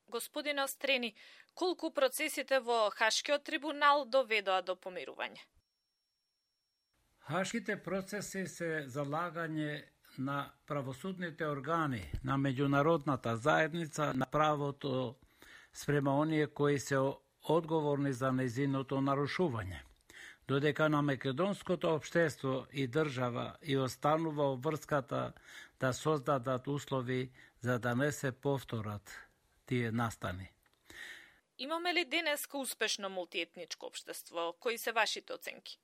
Господине Острени, колку процесите во Хашкиот трибунал доведоа до помирување? Хашките процеси се залагање на правосудните органи, на меѓународната заедница, на правото спрема оние кои се одговорни за нејзиното нарушување. Додека на македонското општество и држава и останува обврската да создадат услови за да не се повторат тие настани. Имаме ли денеска успешно мултиетничко општество? Кои се вашите оценки?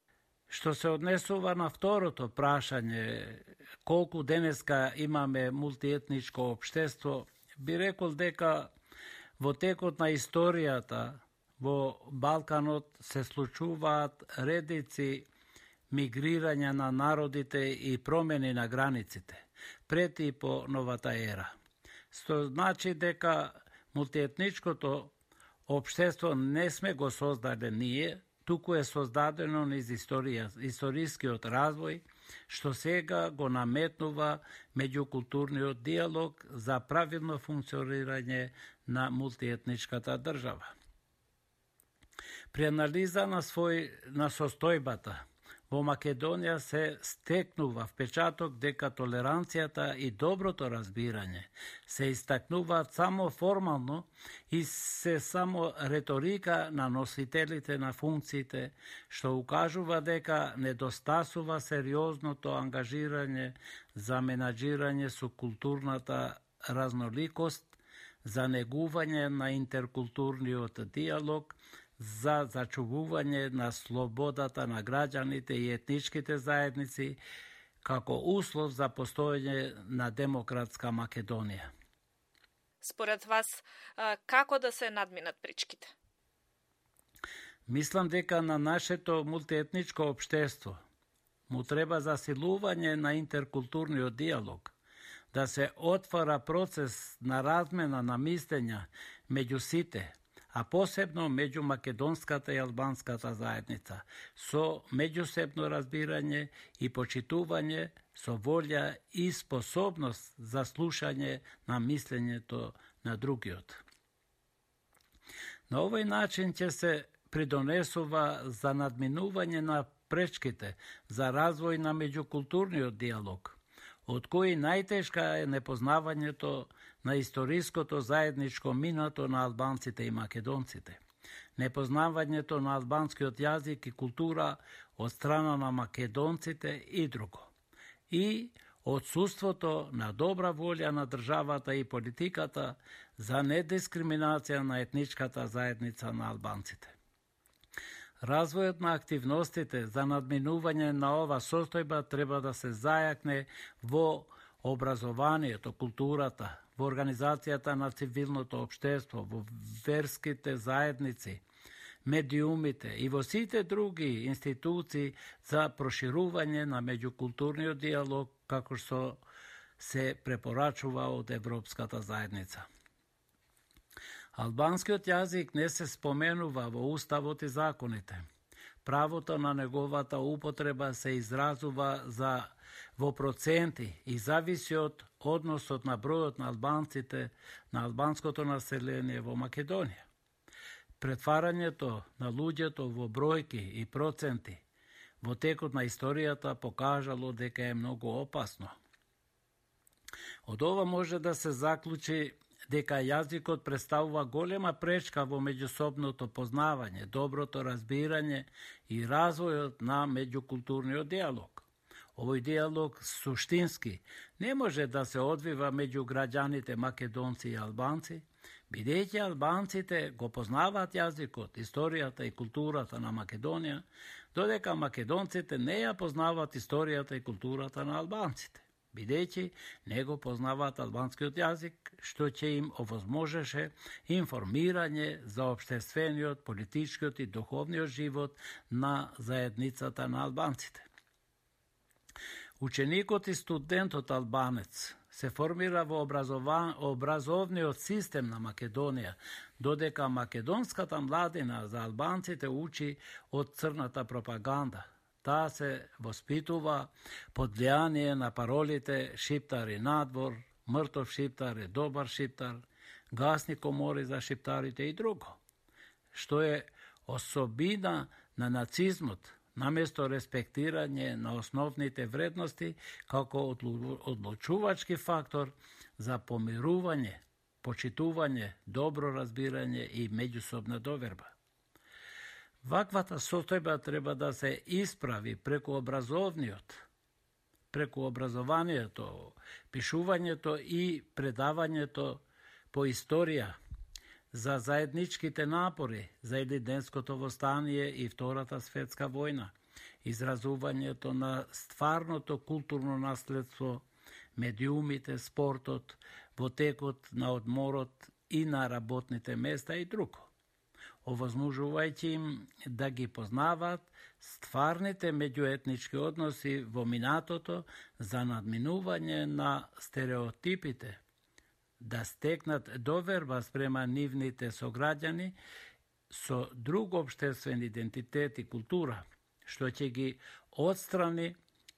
Што се однесува на второто прашање, колку денеска имаме мултиетничко општество, би рекол дека во текот на историјата во Балканот се случуваат редици мигрирања на народите и промени на границите, пред и по новата ера. Што значи дека мултиетничкото општество не сме го создале ние, туку е создадено низ историскиот развој, што сега го наметнува меѓукултурниот диалог за правилно функционирање на мултиетничката држава. При анализа на состојбата во Македонија се стекнува впечаток дека толеранцијата и доброто разбирање се истакнуваат само формално и се само реторика на носителите на функциите, што укажува дека недостасува сериозното ангажирање за менаџирање со културната разноликост, за негување на интеркултурниот диалог, за зачувување на слободата на граѓаните и етничките заедници како услов за постоење на демократска Македонија. Според вас, како да се надминат пречките? Мислам дека на нашето мултиетничко општество му треба засилување на интеркултурниот диалог, да се отвара процес на размена на мислења меѓу сите, а посебно меѓу македонската и албанската заедница, со меѓусебно разбирање и почитување, со волја и способност за слушање на мислењето на другиот. На овој начин ќе се придонесува за надминување на пречките за развој на меѓукултурниот диалог, од кои најтешка е непознавањето на историското заедничко минато на албанците и македонците, непознавањето на албанскиот јазик и култура од страна на македонците и друго, и отсуството на добра волја на државата и политиката за недискриминација на етничката заедница на албанците. Развојот на активностите за надминување на ова состојба треба да се зајакне во образованието, културата, во организацијата на цивилното општество, во верските заедници, медиумите и во сите други институции за проширување на меѓукултурниот диалог, како што се препорачува од Европската заедница. Албанскиот јазик не се споменува во уставот и законите. Правото на неговата употреба се изразува во проценти и зависи од односот на бројот на албанците на албанското население во Македонија. Претварањето на луѓето во бројки и проценти во текот на историјата покажало дека е многу опасно. Од ова може да се заклучи дека јазикот представува голема пречка во меѓусобното познавање, доброто разбирање и развојот на меѓукултурниот диалог. Овој диалог суштински не може да се одвива меѓу граѓаните македонци и албанци, бидејќи албанците го познаваат јазикот, историјата и културата на Македонија, додека македонците не ја познаваат историјата и културата на албанците, бидејќи не го познаваат албанскиот јазик, што ќе им овозможеше информирање за општествениот, политичкиот и духовниот живот на заедницата на албанците. Ученикот и студентот албанец се формира во образовниот систем на Македонија, додека македонската младина за албанците учи од црната пропаганда. Таа се воспитува под влијание на паролите «Шиптар е надвор», «Мртов шиптар е добар шиптар», гасни комори за шиптарите и друго, што е особина на нацизмот, наместо респектирање на основните вредности како одлучувачки фактор за помирување, почитување, добро разбирање и меѓусобна доверба. Ваквата состојба треба да се исправи преку образованието, пишувањето и предавањето по историја, за заедничките напори за Елиденското востание и Втората светска војна, изразувањето на стварното културно наследство, медиумите, спортот, во текот на одморот и на работните места и друго, овозможувајќи им да ги познаваат стварните меѓуетнички односи во минатото за надминување на стереотипите, да стекнат доверба спрема нивните сограѓани со друг општествен идентитет и култура, што ќе ги отстрани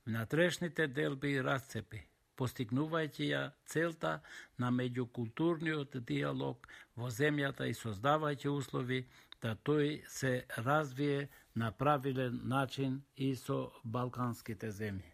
внатрешните делби и расцепи, постигнувајќи ја целта на меѓукултурниот диалог во земјата и создавајќи услови да тој се развие на правилен начин и со балканските земји.